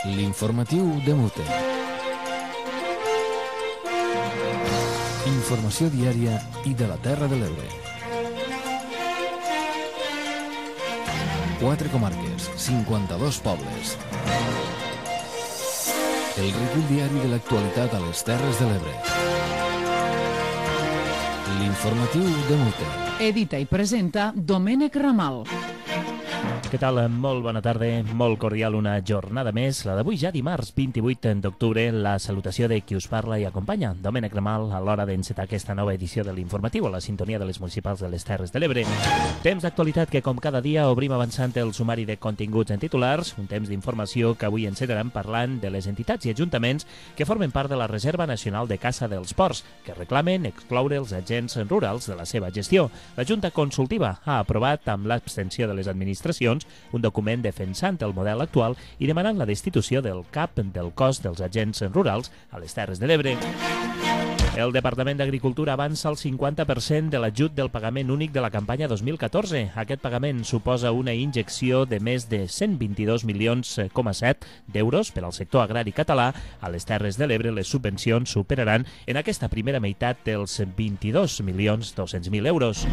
L'informatiu de Mute. Informació diària i de la Terra de l'Ebre. 4 comarques, 52 pobles. El recull diari de l'actualitat a les Terres de l'Ebre. L'informatiu de Mute. Edita i presenta Domènec Ramal. Què tal? Molt bona tarda, molt cordial una jornada més, la d'avui ja dimarts 28 d'octubre, la salutació de qui us parla i acompanya, Domènec Ramal, a l'hora d'encetar aquesta nova edició de l'Informatiu a la sintonia de les municipals de les Terres de l'Ebre. Temps d'actualitat que, com cada dia, obrim avançant el sumari de continguts en titulars, un temps d'informació que avui encetarem parlant de les entitats i ajuntaments que formen part de la Reserva Nacional de Caça dels Ports, que reclamen excloure els agents rurals de la seva gestió. La Junta Consultiva ha aprovat, amb l'abstenció de les administracions, un document defensant el model actual i demanant la destitució del cap del cos dels agents rurals a les Terres de l'Ebre. El Departament d'Agricultura avança el 50% de l'ajut del pagament únic de la campanya 2014. Aquest pagament suposa una injecció de més de 122,7 milions d'euros per al sector agrari català. A les Terres de l'Ebre les subvencions superaran en aquesta primera meitat dels 22,2 milions d'euros.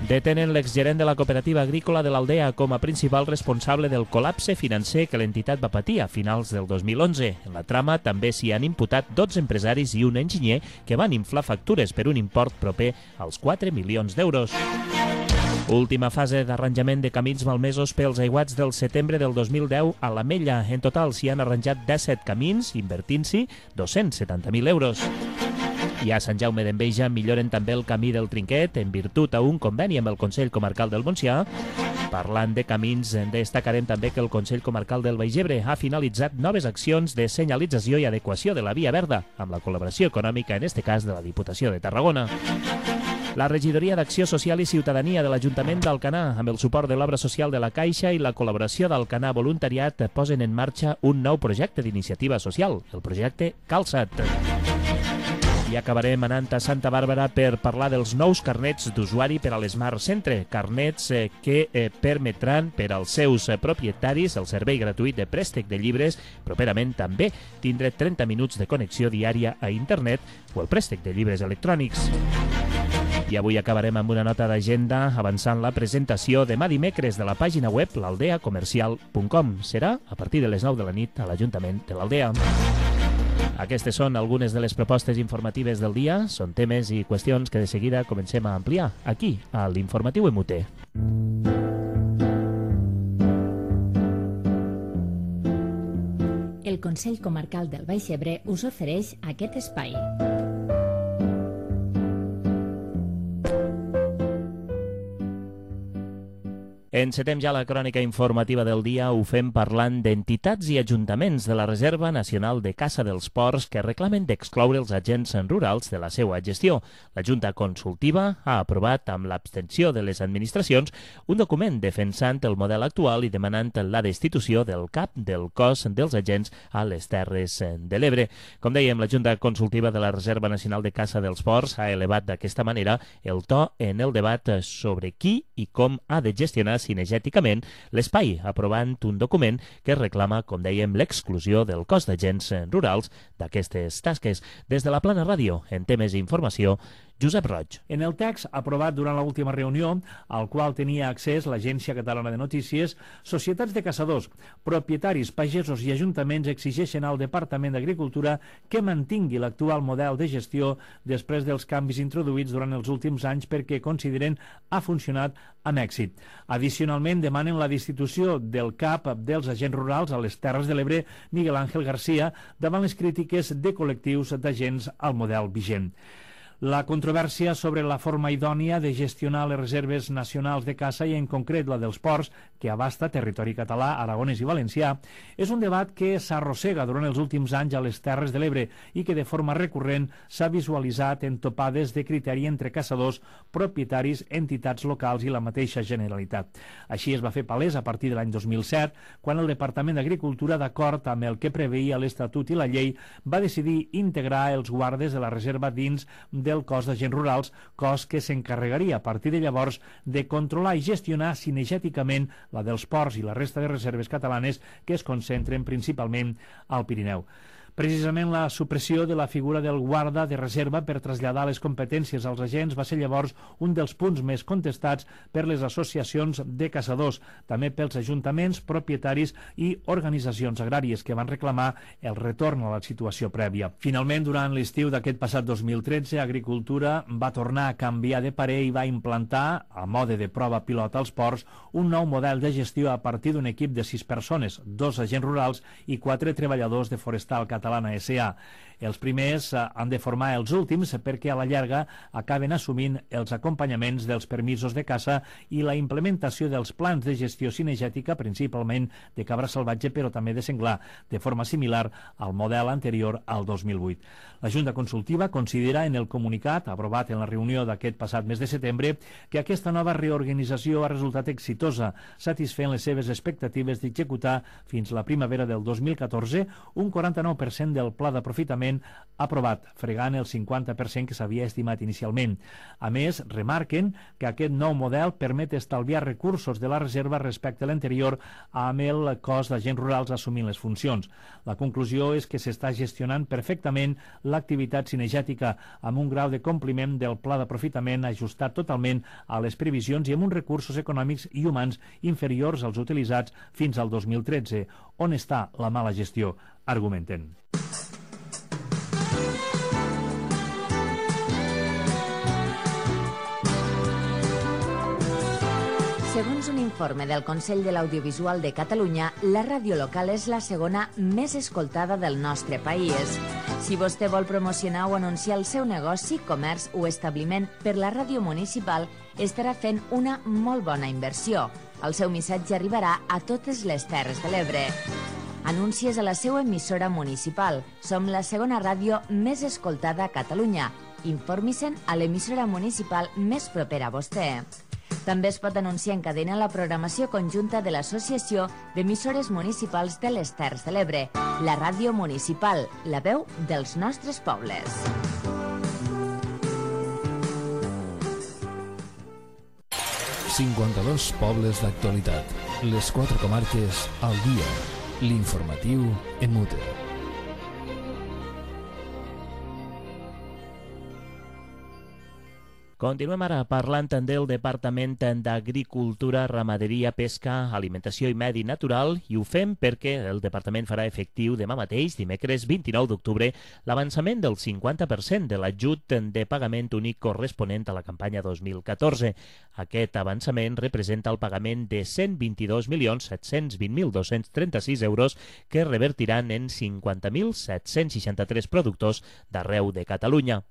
Detenen l'exgerent de la cooperativa agrícola de l'Aldea com a principal responsable del col·lapse financer que l'entitat va patir a finals del 2011. En la trama també s'hi han imputat 12 empresaris i un enginyer que van inflar factures per un import proper als 4 milions d'euros. Última fase d'arranjament de camins malmesos pels aiguats del setembre del 2010 a l'Ametlla. En total s'hi han arranjat 17 camins, invertint-s'hi 270.000 euros. I a Sant Jaume d'Enveja milloren també el camí del Trinquet en virtut a un conveni amb el Consell Comarcal del Montsià. Parlant de camins, destacarem també que el Consell Comarcal del Baix Ebre ha finalitzat noves accions de senyalització i adequació de la via verda, amb la col·laboració econòmica, en este cas, de la Diputació de Tarragona. La Regidoria d'Acció Social i Ciutadania de l'Ajuntament d'Alcanar, amb el suport de l'Obra Social de la Caixa i la col·laboració d'Alcanar Voluntariat, posen en marxa un nou projecte d'iniciativa social, el projecte Calçat. I acabarem anant a Santa Bàrbara per parlar dels nous carnets d'usuari per a l'Smart Centre, carnets que permetran per als seus propietaris el servei gratuït de préstec de llibres, properament també tindre 30 minuts de connexió diària a internet o el préstec de llibres electrònics. I avui acabarem amb una nota d'agenda avançant la presentació demà dimecres de la pàgina web l'aldeacomercial.com. Serà a partir de les 9 de la nit a l'Ajuntament de l'Aldea. Aquestes són algunes de les propostes informatives del dia. Són temes i qüestions que de seguida comencem a ampliar aquí, a l'Informatiu MUT. El Consell Comarcal del Baix Ebre us ofereix aquest espai. Encetem ja la crònica informativa del dia, ho fem parlant d'entitats i ajuntaments de la Reserva Nacional de Caça dels Ports que reclamen d'excloure els agents rurals de la seva gestió. La Junta Consultiva ha aprovat, amb l'abstenció de les administracions, un document defensant el model actual i demanant la destitució del cap del cos dels agents a les Terres de l'Ebre. Com dèiem, la Junta Consultiva de la Reserva Nacional de Caça dels Ports ha elevat d'aquesta manera el to en el debat sobre qui i com ha de gestionar cinegèticament l'espai, aprovant un document que reclama, com dèiem, l'exclusió del cos d'agents rurals d'aquestes tasques. Des de la Plana Ràdio, en temes d'informació, Josep Roig. En el text aprovat durant l'última reunió, al qual tenia accés l'Agència Catalana de Notícies, societats de caçadors, propietaris, pagesos i ajuntaments exigeixen al Departament d'Agricultura que mantingui l'actual model de gestió després dels canvis introduïts durant els últims anys perquè consideren ha funcionat amb èxit. Addicionalment, demanen la destitució del cap dels agents rurals a les Terres de l'Ebre, Miguel Ángel García, davant les crítiques de col·lectius d'agents al model vigent. La controvèrsia sobre la forma idònia de gestionar les reserves nacionals de caça i en concret la dels ports, que abasta territori català, aragonès i valencià, és un debat que s'arrossega durant els últims anys a les Terres de l'Ebre i que de forma recurrent s'ha visualitzat en topades de criteri entre caçadors, propietaris, entitats locals i la mateixa Generalitat. Així es va fer palès a partir de l'any 2007, quan el Departament d'Agricultura, d'acord amb el que preveia l'Estatut i la llei, va decidir integrar els guardes de la reserva dins del cos d'agents rurals, cos que s'encarregaria a partir de llavors de controlar i gestionar cinegèticament la dels ports i la resta de reserves catalanes que es concentren principalment al Pirineu. Precisament la supressió de la figura del guarda de reserva per traslladar les competències als agents va ser llavors un dels punts més contestats per les associacions de caçadors, també pels ajuntaments, propietaris i organitzacions agràries que van reclamar el retorn a la situació prèvia. Finalment, durant l'estiu d'aquest passat 2013, Agricultura va tornar a canviar de parer i va implantar, a mode de prova pilot als ports, un nou model de gestió a partir d'un equip de 6 persones, 2 agents rurals i 4 treballadors de Forestal Catalana S.A. Els primers han de formar els últims perquè a la llarga acaben assumint els acompanyaments dels permisos de caça i la implementació dels plans de gestió cinegètica, principalment de cabra salvatge però també de senglar, de forma similar al model anterior al 2008. La Junta Consultiva considera en el comunicat aprovat en la reunió d'aquest passat mes de setembre que aquesta nova reorganització ha resultat exitosa, satisfent les seves expectatives d'executar fins la primavera del 2014 un 49% del pla d'aprofitament aprovat, fregant el 50% que s'havia estimat inicialment. A més, remarquen que aquest nou model permet estalviar recursos de la reserva respecte a l'anterior amb el cos d'agents rurals assumint les funcions. La conclusió és que s'està gestionant perfectament l'activitat cinegètica amb un grau de compliment del pla d'aprofitament ajustat totalment a les previsions i amb uns recursos econòmics i humans inferiors als utilitzats fins al 2013. On està la mala gestió? Argumenten. Segons un informe del Consell de l'Audiovisual de Catalunya, la ràdio local és la segona més escoltada del nostre país. Si vostè vol promocionar o anunciar el seu negoci, comerç o establiment per la ràdio municipal, estarà fent una molt bona inversió. El seu missatge arribarà a totes les Terres de l'Ebre. Anuncies a la seva emissora municipal. Som la segona ràdio més escoltada a Catalunya. Informi-se'n a l'emissora municipal més propera a vostè. També es pot anunciar en cadena la programació conjunta de l'Associació d'Emissores Municipals de les Terres de l'Ebre, la ràdio municipal, la veu dels nostres pobles. ...52 pobles d'actualitat. Les 4 comarques al dia. L'informatiu en mute. Continuem ara parlant del Departament d'Agricultura, Ramaderia, Pesca, Alimentació i Medi Natural i ho fem perquè el Departament farà efectiu demà mateix, dimecres 29 d'octubre, l'avançament del 50% de l'ajut de pagament únic corresponent a la campanya 2014. Aquest avançament representa el pagament de 122.720.236 euros que revertiran en 50.763 productors d'arreu de Catalunya.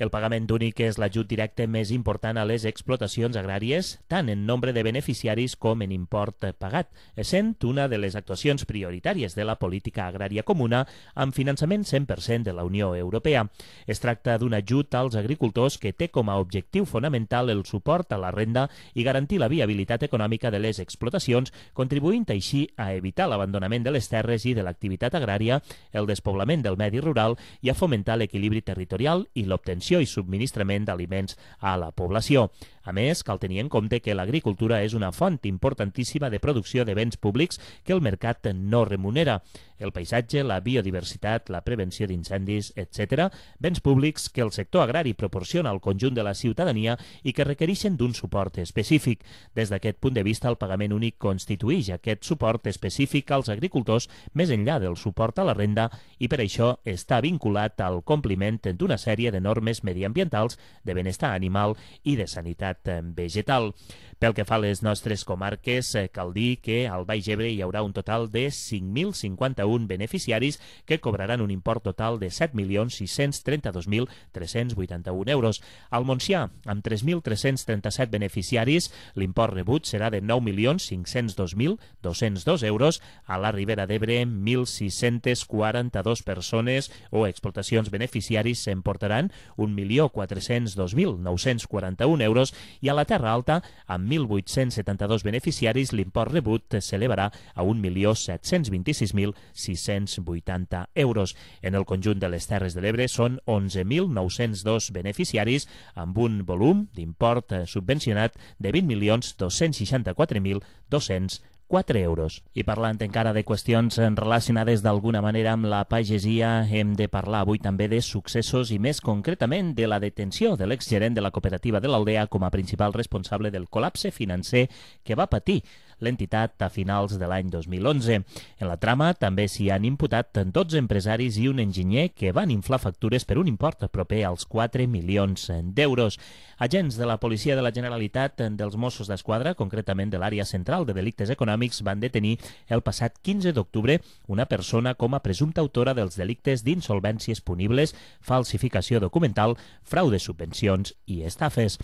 El pagament únic és l'ajut directe més important a les explotacions agràries, tant en nombre de beneficiaris com en import pagat, essent una de les actuacions prioritàries de la política agrària comuna amb finançament 100% de la Unió Europea. Es tracta d'un ajut als agricultors que té com a objectiu fonamental el suport a la renda i garantir la viabilitat econòmica de les explotacions, contribuint així a evitar l'abandonament de les terres i de l'activitat agrària, el despoblament del medi rural i a fomentar l'equilibri territorial i l'obtenció i subministrament d'aliments a la població. A més, cal tenir en compte que l'agricultura és una font importantíssima de producció de béns públics que el mercat no remunera. El paisatge, la biodiversitat, la prevenció d'incendis, etc. Béns públics que el sector agrari proporciona al conjunt de la ciutadania i que requereixen d'un suport específic. Des d'aquest punt de vista, el pagament únic constitueix aquest suport específic als agricultors més enllà del suport a la renda i per això està vinculat al compliment d'una sèrie de normes mediambientals, de benestar animal i de sanitat vegetal. Pel que fa a les nostres comarques, cal dir que al Baix Ebre hi haurà un total de 5.051 beneficiaris que cobraran un import total de 7.632.381 euros. Al Montsià, amb 3.337 beneficiaris, l'import rebut serà de 9.502.202 euros. A la Ribera d'Ebre, 1.642 persones o explotacions beneficiaris s'emportaran 1.402.941 euros i a la Terra Alta, amb 1.872 beneficiaris, l'import rebut s'elevarà a 1.726.680 euros. En el conjunt de les Terres de l'Ebre són 11.902 beneficiaris amb un volum d'import subvencionat de 20.264.204 euros. I parlant encara de qüestions relacionades d'alguna manera amb la pagesia, hem de parlar avui també de successos i més concretament de la detenció de l'exgerent de la cooperativa de l'Aldea com a principal responsable del col·lapse financer que va patir l'entitat a finals de l'any 2011. En la trama també s'hi han imputat 12 empresaris i un enginyer que van inflar factures per un import proper als 4 milions d'euros. Agents de la Policia de la Generalitat dels Mossos d'Esquadra, concretament de l'àrea central de delictes econòmics, van detenir el passat 15 d'octubre una persona com a presumpta autora dels delictes d'insolvències punibles, falsificació documental, frau de subvencions i estafes.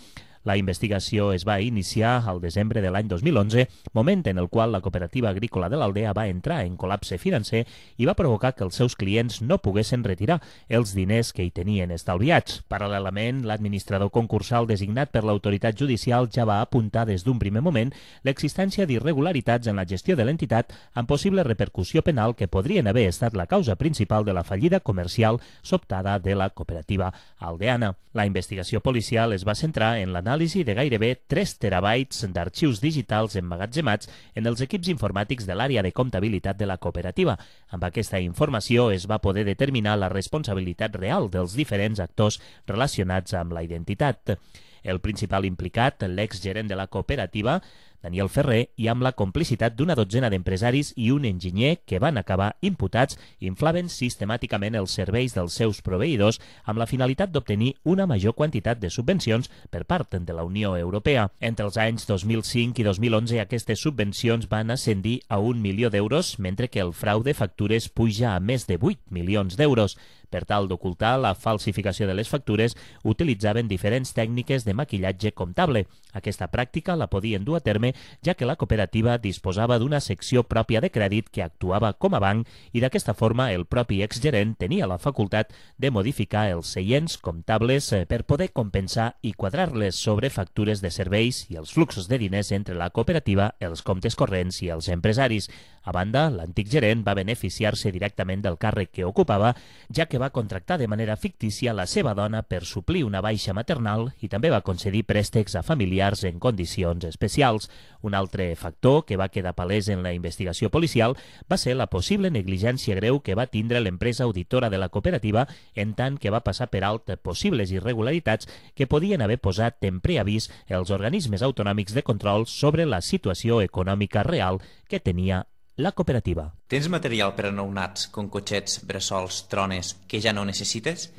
La investigació es va iniciar al desembre de l'any 2011, moment en el qual la cooperativa agrícola de l'Aldea va entrar en col·lapse financer i va provocar que els seus clients no poguessin retirar els diners que hi tenien estalviats. Paral·lelament, l'administrador concursal designat per l'autoritat judicial ja va apuntar des d'un primer moment l'existència d'irregularitats en la gestió de l'entitat amb possible repercussió penal que podrien haver estat la causa principal de la fallida comercial sobtada de la cooperativa aldeana. La investigació policial es va centrar en l'anàlisi de gairebé 3 terabytes d'arxius digitals emmagatzemats en els equips informàtics de l'àrea de comptabilitat de la cooperativa. Amb aquesta informació es va poder determinar la responsabilitat real dels diferents actors relacionats amb la identitat. El principal implicat, l'exgerent de la cooperativa, Daniel Ferrer, i amb la complicitat d'una dotzena d'empresaris i un enginyer que van acabar imputats, inflaven sistemàticament els serveis dels seus proveïdors amb la finalitat d'obtenir una major quantitat de subvencions per part de la Unió Europea. Entre els anys 2005 i 2011 aquestes subvencions van ascendir a 1 milió d'euros, mentre que el frau de factures puja a més de 8 milions d'euros. Per tal d'ocultar la falsificació de les factures, utilitzaven diferents tècniques de maquillatge comptable. Aquesta pràctica la podien dur a terme ja que la cooperativa disposava d'una secció pròpia de crèdit que actuava com a banc i d'aquesta forma el propi exgerent tenia la facultat de modificar els seients comptables per poder compensar i quadrar-les sobre factures de serveis i els fluxos de diners entre la cooperativa, els comptes corrents i els empresaris. A banda, l'antic gerent va beneficiar-se directament del càrrec que ocupava, ja que va contractar de manera fictícia la seva dona per suplir una baixa maternal i també va concedir préstecs a familiars en condicions especials. Un altre factor que va quedar palès en la investigació policial va ser la possible negligència greu que va tindre l'empresa auditora de la cooperativa en tant que va passar per alt possibles irregularitats que podien haver posat en preavís els organismes autonòmics de control sobre la situació econòmica real que tenia la cooperativa. Tens material per a nounats, com cotxets, bressols, trones, que ja no necessites?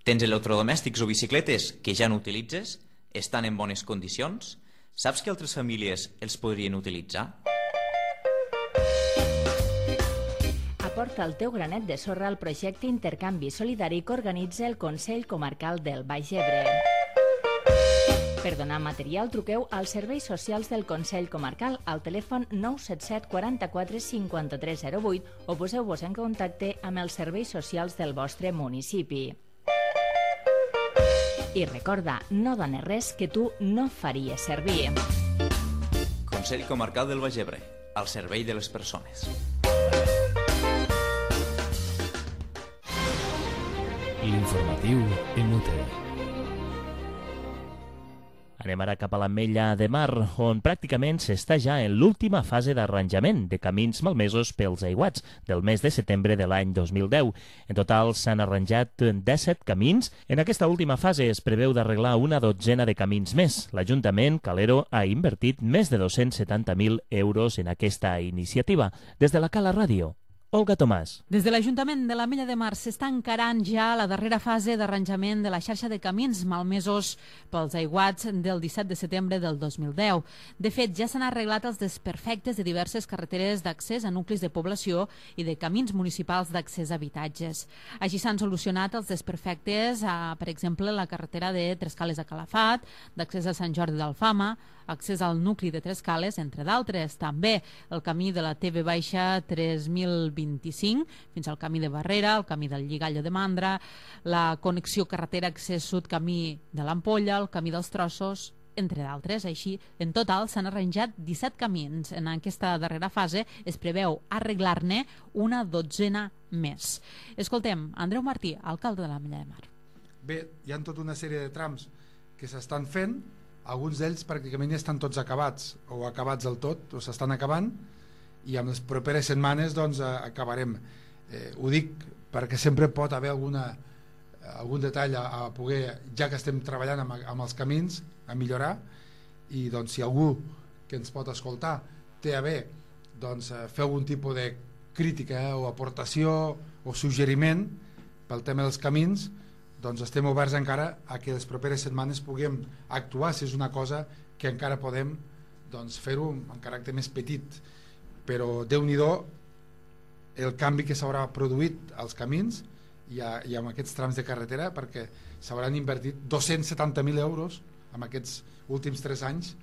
Tens electrodomèstics o bicicletes que ja no utilitzes? Estan en bones condicions? Saps que altres famílies els podrien utilitzar? Aporta el teu granet de sorra al projecte Intercanvi Solidari que organitza el Consell Comarcal del Baix Ebre. Per donar material, truqueu als serveis socials del Consell Comarcal al telèfon 977 44 53 08 o poseu-vos en contacte amb els serveis socials del vostre municipi. I recorda, no dones res que tu no faries servir. Consell Comarcal del Baix Ebre, al servei de les persones. L'informatiu en UTE. Anem ara cap a l'Ametlla de Mar, on pràcticament s'està ja en l'última fase d'arranjament de camins malmesos pels aiguats del mes de setembre de l'any 2010. En total s'han arranjat 17 camins. En aquesta última fase es preveu d'arreglar una dotzena de camins més. L'Ajuntament Calero ha invertit més de 270.000 euros en aquesta iniciativa. Des de la Cala Ràdio, Olga Tomàs. Des de l'Ajuntament de l'Ametlla de Mar s'està encarant ja la darrera fase d'arranjament de la xarxa de camins malmesos pels aiguats del 17 de setembre del 2010. De fet, ja s'han arreglat els desperfectes de diverses carreteres d'accés a nuclis de població i de camins municipals d'accés a habitatges. Així s'han solucionat els desperfectes a, per exemple, la carretera de Trescales a Calafat, d'accés a Sant Jordi d'Alfama, accés al nucli de Trescales, entre d'altres. També el camí de la TV Baixa 3025 fins al camí de Barrera, el camí del Lligallo de Mandra, la connexió carretera accés sud camí de l'Ampolla, el camí dels Trossos, entre d'altres. Així, en total s'han arranjat 17 camins. En aquesta darrera fase es preveu arreglar-ne una dotzena més. Escoltem, Andreu Martí, alcalde de l'Ametlla de Mar. Bé, hi ha tota una sèrie de trams que s'estan fent, alguns d'ells pràcticament ja estan tots acabats, o acabats del tot, o s'estan acabant, i amb les properes setmanes doncs acabarem. Ho dic perquè sempre pot haver algun detall a poder, ja que estem treballant amb els camins, a millorar, i doncs si algú que ens pot escoltar té a bé doncs fer algun tipus de crítica o aportació o suggeriment pel tema dels camins, doncs estem oberts encara a que les properes setmanes puguem actuar si és una cosa que encara podem doncs fer-ho en caràcter més petit, però Déu-n'hi-do el canvi que s'haurà produït als camins i amb aquests trams de carretera, perquè s'hauran invertit 270.000 euros en aquests últims 3 anys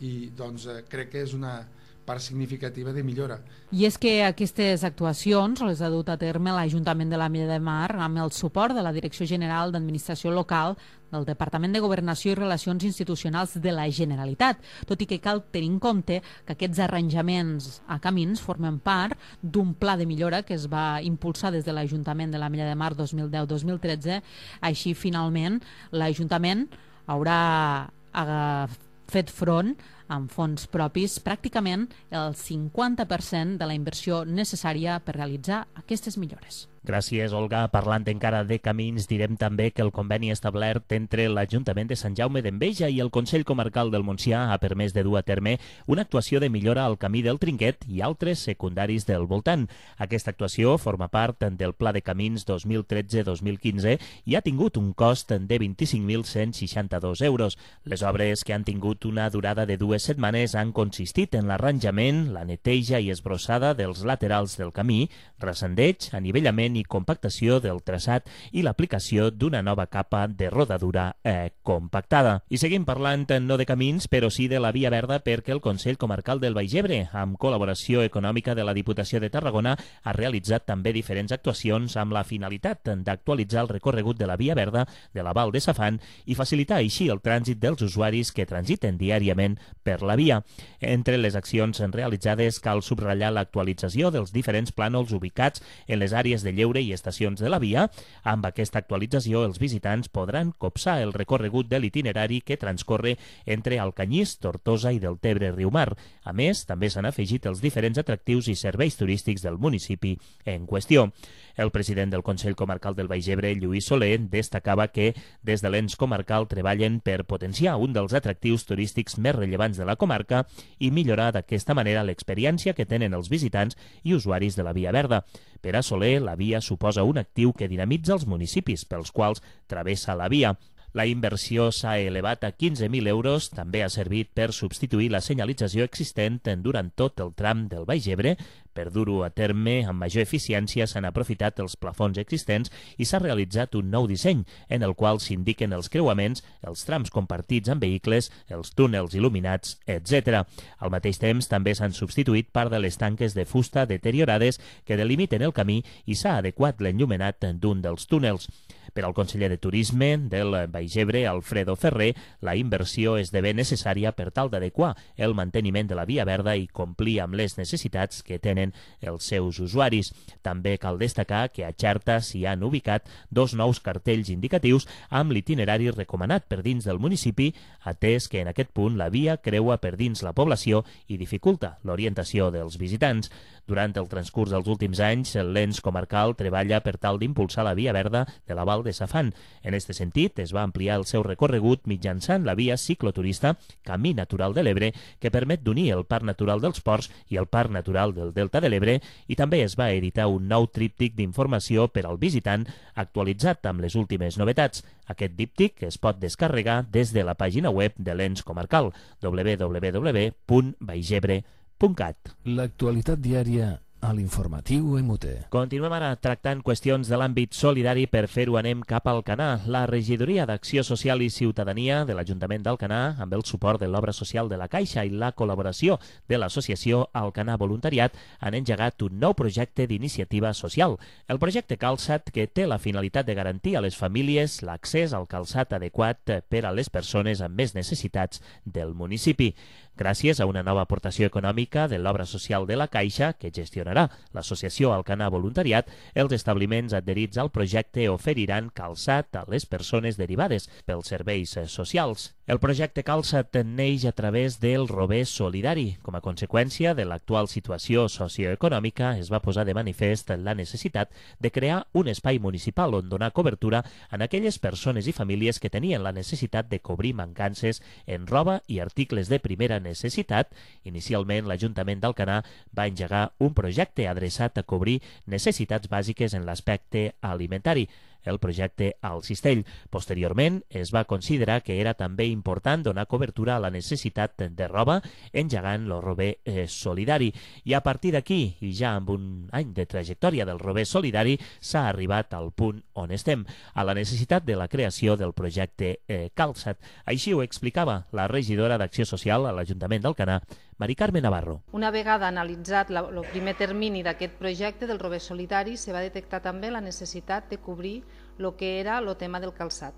i doncs crec que és una part significativa de millora. I és que aquestes actuacions les ha dut a terme l'Ajuntament de l'Ametlla de Mar amb el suport de la Direcció General d'Administració Local del Departament de Governació i Relacions Institucionals de la Generalitat, tot i que cal tenir en compte que aquests arranjaments a camins formen part d'un pla de millora que es va impulsar des de l'Ajuntament de l'Ametlla de Mar 2010-2013. Així, finalment, l'Ajuntament haurà fet front amb fons propis pràcticament el 50% de la inversió necessària per realitzar aquestes millores. Gràcies, Olga. Parlant encara de camins, direm també que el conveni establert entre l'Ajuntament de Sant Jaume d'Enveja i el Consell Comarcal del Montsià ha permès de dur a terme una actuació de millora al camí del Trinquet i altres secundaris del voltant. Aquesta actuació forma part del Pla de Camins 2013-2015 i ha tingut un cost de 25.162 euros. Les obres, que han tingut una durada de 2 setmanes, han consistit en l'arranjament, la neteja i esbrossada dels laterals del camí, recendeig, anivellament i compactació del traçat i l'aplicació d'una nova capa de rodadura compactada. I seguim parlant no de camins, però sí de la Via Verda, perquè el Consell Comarcal del Baix Ebre, amb col·laboració econòmica de la Diputació de Tarragona, ha realitzat també diferents actuacions amb la finalitat d'actualitzar el recorregut de la Via Verda de la Val de Safant i facilitar així el trànsit dels usuaris que transiten diàriament per la via. Entre les accions realitzades cal subratllar l'actualització dels diferents plànols ubicats en les àrees de lleure i estacions de la via. Amb aquesta actualització, els visitants podran copsar el recorregut de l'itinerari que transcorre entre Alcanyís, Tortosa i Deltebre-Riumar. A més, també s'han afegit els diferents atractius i serveis turístics del municipi en qüestió. El president del Consell Comarcal del Baix Ebre, Lluís Soler, destacava que des de l'ens comarcal treballen per potenciar un dels atractius turístics més rellevants de la comarca i millorar d'aquesta manera l'experiència que tenen els visitants i usuaris de la Via Verda. Per a Soler, la via suposa un actiu que dinamitza els municipis pels quals travessa la via. La inversió s'ha elevat a 15.000 euros, també ha servit per substituir la senyalització existent durant tot el tram del Baix Ebre. Per dur-ho a terme amb major eficiència s'han aprofitat els plafons existents i s'ha realitzat un nou disseny en el qual s'indiquen els creuaments, els trams compartits amb vehicles, els túnels il·luminats, etc. Al mateix temps també s'han substituït part de les tanques de fusta deteriorades que delimiten el camí i s'ha adequat l'enllumenat d'un dels túnels. Per al conseller de Turisme del Baix Ebre, Alfredo Ferrer, la inversió esdevé necessària per tal d'adequar el manteniment de la Via Verda i complir amb les necessitats que tenen els seus usuaris. També cal destacar que a Xerta s'hi han ubicat 2 nous cartells indicatius amb l'itinerari recomanat per dins del municipi, atès que en aquest punt la via creua per dins la població i dificulta l'orientació dels visitants. Durant el transcurs dels últims anys, l'ens comarcal treballa per tal d'impulsar la Via Verda de la Val de Safant. En aquest sentit, es va ampliar el seu recorregut mitjançant la via cicloturista Camí Natural de l'Ebre, que permet d'unir el Parc Natural dels Ports i el Parc Natural del Delta de l'Ebre, i també es va editar un nou tríptic d'informació per al visitant actualitzat amb les últimes novetats. Aquest díptic es pot descarregar des de la pàgina web de l'ens comarcal, www.baixebre.cat. L'actualitat diària a l'informatiu EMUTE. Continuem ara tractant qüestions de l'àmbit solidari. Per fer-ho anem cap al Alcanar. La Regidoria d'Acció Social i Ciutadania de l'Ajuntament d'Alcanar, amb el suport de l'Obra Social de la Caixa i la col·laboració de l'associació Alcanar Voluntariat, han engegat un nou projecte d'iniciativa social. El projecte Calçat, que té la finalitat de garantir a les famílies l'accés al calçat adequat per a les persones amb més necessitats del municipi. Gràcies a una nova aportació econòmica de l'Obra Social de la Caixa, que gestionarà l'associació Alcanar Voluntariat, els establiments adherits al projecte oferiran calçat a les persones derivades pels serveis socials. El projecte Calçat neix a través del Rober Solidari. Com a conseqüència de l'actual situació socioeconòmica, es va posar de manifest la necessitat de crear un espai municipal on donar cobertura a aquelles persones i famílies que tenien la necessitat de cobrir mancances en roba i articles de primera necessitat. Inicialment, l'Ajuntament d'Alcanar va engegar un projecte adreçat a cobrir necessitats bàsiques en l'aspecte alimentari, el projecte Al Cistell. Posteriorment, es va considerar que era també important donar cobertura a la necessitat de roba, engegant el Rober Solidari. I a partir d'aquí, i ja amb un any de trajectòria del Rober Solidari, s'ha arribat al punt on estem, a la necessitat de la creació del projecte Calçat. Així ho explicava la regidora d'Acció Social a l'Ajuntament d'Alcanar, Mari Carme Navarro. Una vegada analitzat el primer termini d'aquest projecte del Rober Solidari, se va detectar també la necessitat de cobrir el que era el tema del calçat.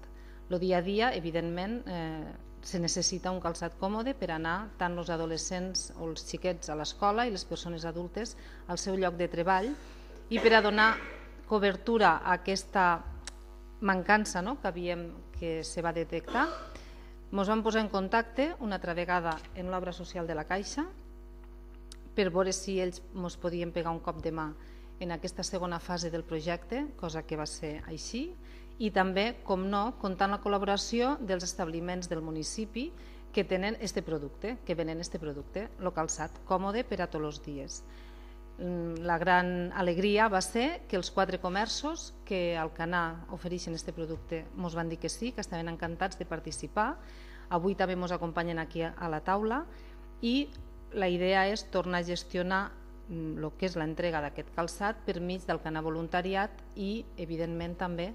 El dia a dia, evidentment, se necessita un calçat còmode per anar tant els adolescents o els xiquets a l'escola i les persones adultes al seu lloc de treball, i per a donar cobertura a aquesta mancança que se va detectar, ens vam posar en contacte una altra vegada amb l'Obra Social de la Caixa per veure si ells ens podien pegar un cop de mà en aquesta segona fase del projecte, cosa que va ser així, i també, com no, comptant la col·laboració dels establiments del municipi que tenen este producte, que venen este producte, el calçat còmode per a tots els dies. La gran alegria va ser que els 4 comerços que al Alcanar ofereixen este producte ens van dir que sí, que estaven encantats de participar. Avui també ens acompanyen aquí a la taula i la idea és tornar a gestionar el que és l'entrega d'aquest calçat per mig del Alcanar Voluntariat i, evidentment, també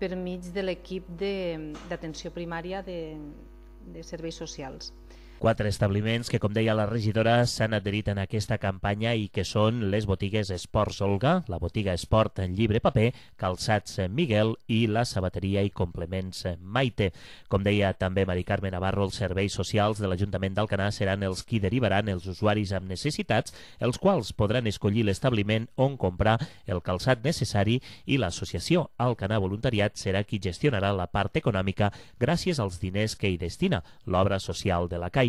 per mig de l'equip d'atenció primària de serveis socials. 4 establiments que, com deia la regidora, s'han adherit en aquesta campanya i que són les botigues Esports Olga, la botiga Esport en Llibre Paper, Calçats Miguel i la sabateria i complements Maite. Com deia també Mari Carme Navarro, els serveis socials de l'Ajuntament d'Alcanar seran els qui derivaran els usuaris amb necessitats, els quals podran escollir l'establiment on comprar el calçat necessari, i l'associació Alcanar Voluntariat serà qui gestionarà la part econòmica gràcies als diners que hi destina l'Obra Social de la Caixa.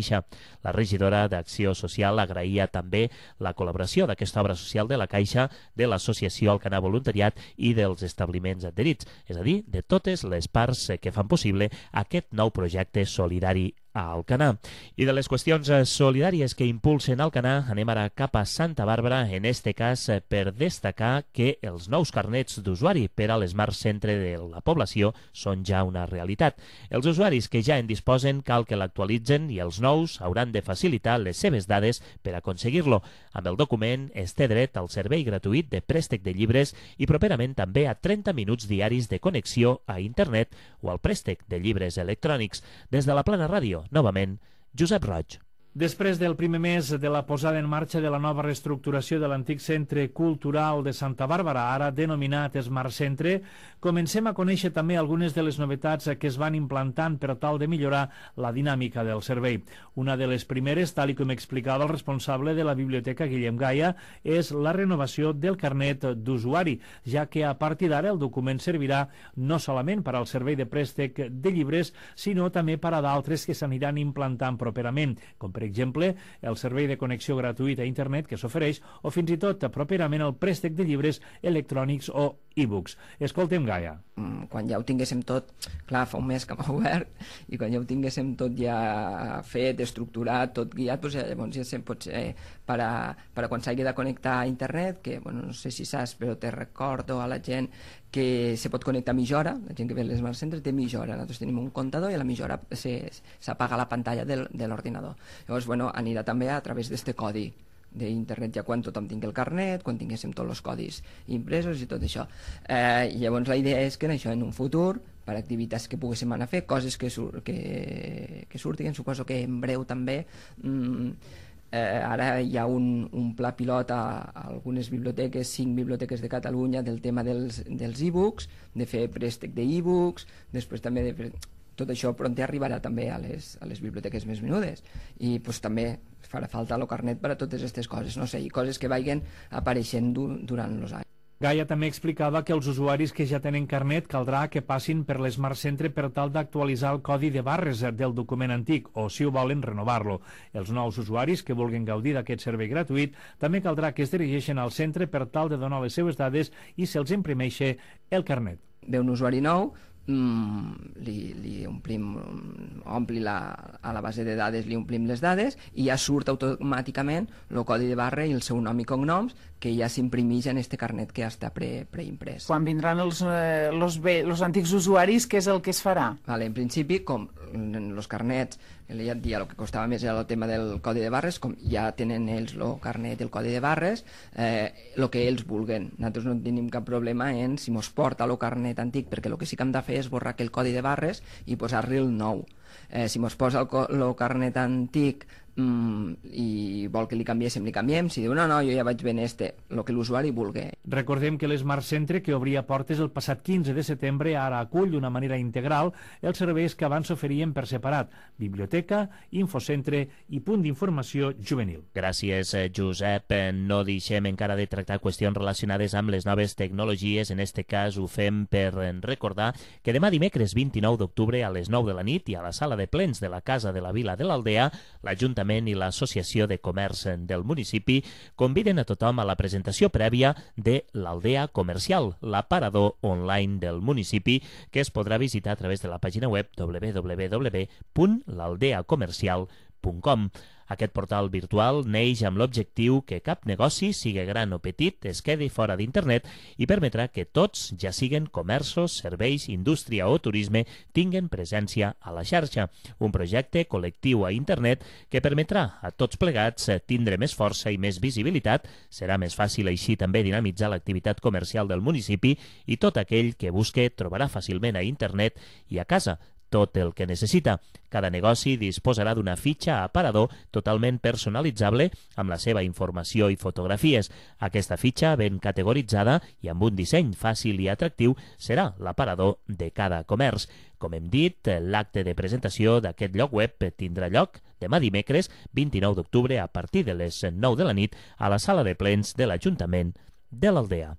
La regidora d'Acció Social agraïa també la col·laboració d'aquesta obra social de la Caixa, de l'associació Alcanar Voluntariat i dels establiments adherits, és a dir, de totes les parts que fan possible aquest nou projecte solidari a Alcanar. I de les qüestions solidàries que impulsen Alcanar, anem ara cap a Santa Bàrbara, en este cas per destacar que els nous carnets d'usuari per a l'Smart Centre de la població són ja una realitat. Els usuaris que ja en disposen cal que l'actualitzen i els nous hauran de facilitar les seves dades per aconseguir-lo. Amb el document es té dret al servei gratuït de préstec de llibres i properament també a 30 minuts diaris de connexió a internet o al préstec de llibres electrònics. Des de la Plana Ràdio, novament, Josep Roig. Després del primer mes de la posada en marxa de la nova reestructuració de l'antic Centre Cultural de Santa Bàrbara, ara denominat Smart Centre, comencem a conèixer també algunes de les novetats que es van implantant per tal de millorar la dinàmica del servei. Una de les primeres, tal com explicava el responsable de la biblioteca, Guillem Gaia, és la renovació del carnet d'usuari, ja que a partir d'ara el document servirà no solament per al servei de préstec de llibres, sinó també per a d'altres que s'aniran implantant properament, com per exemple el servei de connexió gratuïta a internet que s'ofereix, o fins i tot properament el préstec de llibres electrònics o e-books. Escoltem Gaia. Quan ja ho tinguéssim tot, clar, fa un mes que m'ha obert, i quan ja ho tinguéssim tot ja fet, estructurat, tot guiat, doncs llavors ja pot ser per a quan s'hagi de connectar a internet, que no sé si saps, però te recordo a la gent que se pot connectar a mitja hora, la gent que ve a l'Smart Centre té mitja hora, nosaltres tenim un comptador i a la mitja hora s'apaga la pantalla de l'ordinador. Llavors, anirà també a través d'aquest codi d'internet ja quan tothom tingui el carnet, quan tinguéssim tots els codis impresos i tot això. Llavors la idea és que això en un futur, per activitats que poguéssim anar a fer, coses que surtin, suposo que en breu també. Ara hi ha un pla pilot a algunes biblioteques, 5 biblioteques de Catalunya, del tema dels e-books, de fer préstec d'e-books, després també tot això pront arribarà també a les biblioteques més menudes, i pues, també farà falta el carnet per a totes aquestes coses, no sé, i coses que vagin apareixent durant els anys. Gaia també explicava que els usuaris que ja tenen carnet caldrà que passin per l'Smart Centre per tal d'actualitzar el codi de barres del document antic o, si ho volen, renovar-lo. Els nous usuaris que vulguin gaudir d'aquest servei gratuït també caldrà que es dirigeixin al centre per tal de donar les seves dades i se'ls imprimeixi el carnet. Ve un usuari nou, li omplim, a la base de dades li omplim les dades i ja surt automàticament el codi de barra i el seu nom i cognoms, que ja s'imprimeix en este carnet que ja està preimprès. Quan vindran els antics usuaris, què és el que es farà? En principi, com els carnets, ja et dia, el que costava més era el tema del codi de barres, com ja tenen ells el carnet i el codi de barres, el que ells vulguen. Nosaltres no tenim cap problema en si mos porta el carnet antic, perquè el que sí que hem de fer és borrar aquell codi de barres i posar-li el nou. Si mos posa el carnet antic i vol que li canviéssim, li canviem. Si diu no, jo ja vaig ben el que l'usuari vulgui. Recordem que l'Smart Centre, que obria portes el passat 15 de setembre, ara acull d'una manera integral els serveis que abans s'oferien per separat: biblioteca, infocentre i punt d'informació juvenil. Gràcies, Josep. No deixem encara de tractar qüestions relacionades amb les noves tecnologies. En este cas ho fem per recordar que demà dimecres 29 d'octubre a les 9 de la nit i a la sala de plens de la Casa de la Vila de l'Aldea, l'Ajuntament i l'Associació de Comerç del municipi conviden a tothom a la presentació prèvia de l'Aldea Comercial, l'aparador online del municipi, que es podrà visitar a través de la pàgina web www.laldeacomercial.com. Aquest portal virtual neix amb l'objectiu que cap negoci, sigui gran o petit, es quedi fora d'internet i permetrà que tots, ja siguen comerços, serveis, indústria o turisme, tinguen presència a la xarxa. Un projecte col·lectiu a internet que permetrà a tots plegats tindre més força i més visibilitat. Serà més fàcil així també dinamitzar l'activitat comercial del municipi i tot aquell que busque trobarà fàcilment a internet i a casa tot el que necessita. Cada negoci disposarà d'una fitxa aparador totalment personalitzable amb la seva informació i fotografies. Aquesta fitxa, ben categoritzada i amb un disseny fàcil i atractiu, serà l'aparador de cada comerç. Com hem dit, l'acte de presentació d'aquest lloc web tindrà lloc demà dimecres 29 d'octubre a partir de les 9 de la nit a la sala de plens de l'Ajuntament de l'Aldea.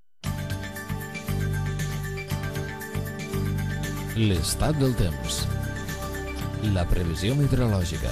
L'estat del temps. La previsió meteorològica.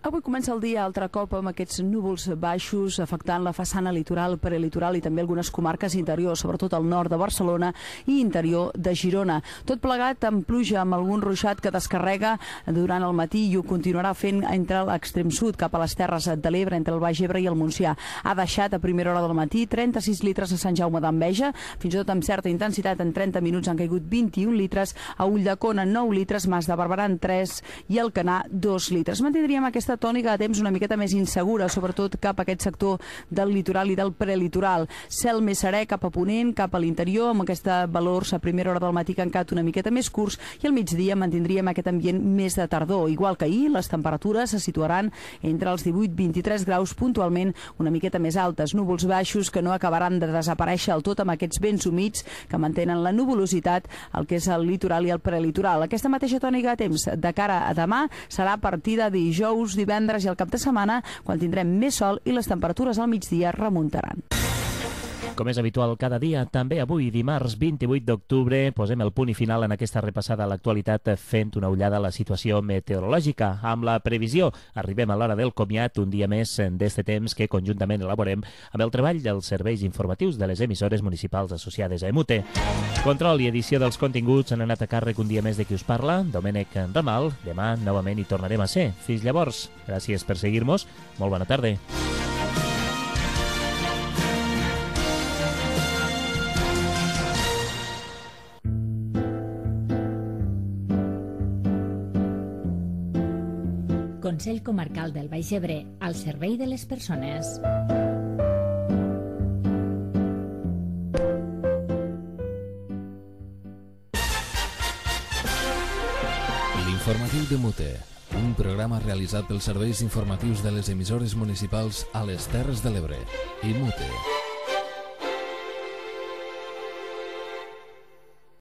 Avui comença el dia altre cop amb aquests núvols baixos afectant la façana litoral, prelitoral i també algunes comarques interiors, sobretot al nord de Barcelona i interior de Girona. Tot plegat amb pluja, amb algun ruixat que descarrega durant el matí i ho continuarà fent entre l'extrem sud, cap a les Terres de l'Ebre, entre el Baix Ebre i el Montsià. Ha deixat a primera hora del matí 36 litres a Sant Jaume d'Enveja, fins i tot amb certa intensitat en 30 minuts han caigut 21 litres, a Ulldecona 9 litres, Mas de Barberà 3 i Alcanar 2 litres. Mantindríem aquesta tònica de temps una miqueta més insegura, sobretot cap a aquest sector del litoral i del prelitoral. Cel més serè cap a ponent, cap a l'interior, amb aquesta valors a primera hora del matí que han quedat una miqueta més curts, i al migdia mantindríem aquest ambient més de tardor. Igual que ahir, les temperatures se situaran entre els 18-23 graus, puntualment una miqueta més altes. Núvols baixos que no acabaran de desaparèixer del tot amb aquests vents humits que mantenen la nuvolositat al que és el litoral i el prelitoral. Aquesta mateixa tònica de temps de cara a demà serà a partir de dijous, divendres i al cap de setmana, quan tindrem més sol i les temperatures al migdia remuntaran. Com és habitual cada dia, també avui, dimarts 28 d'octubre, posem el punt i final en aquesta repassada a l'actualitat fent una ullada a la situació meteorològica. Amb la previsió, arribem a l'hora del comiat, un dia més d'este temps que conjuntament elaborem amb el treball dels serveis informatius de les emissores municipals associades a EMUTE. Control i edició dels continguts han anat a càrrec un dia més de qui us parla, Domènec Ramal. Demà novament hi tornarem a ser. Fins llavors, gràcies per seguir-nos. Molt bona tarda. Consell Comarcal del Baix Ebre, al servei de les persones. L'informatiu de Mute, un programa realitzat pels serveis informatius de les emissores municipals a les Terres de l'Ebre i Mute.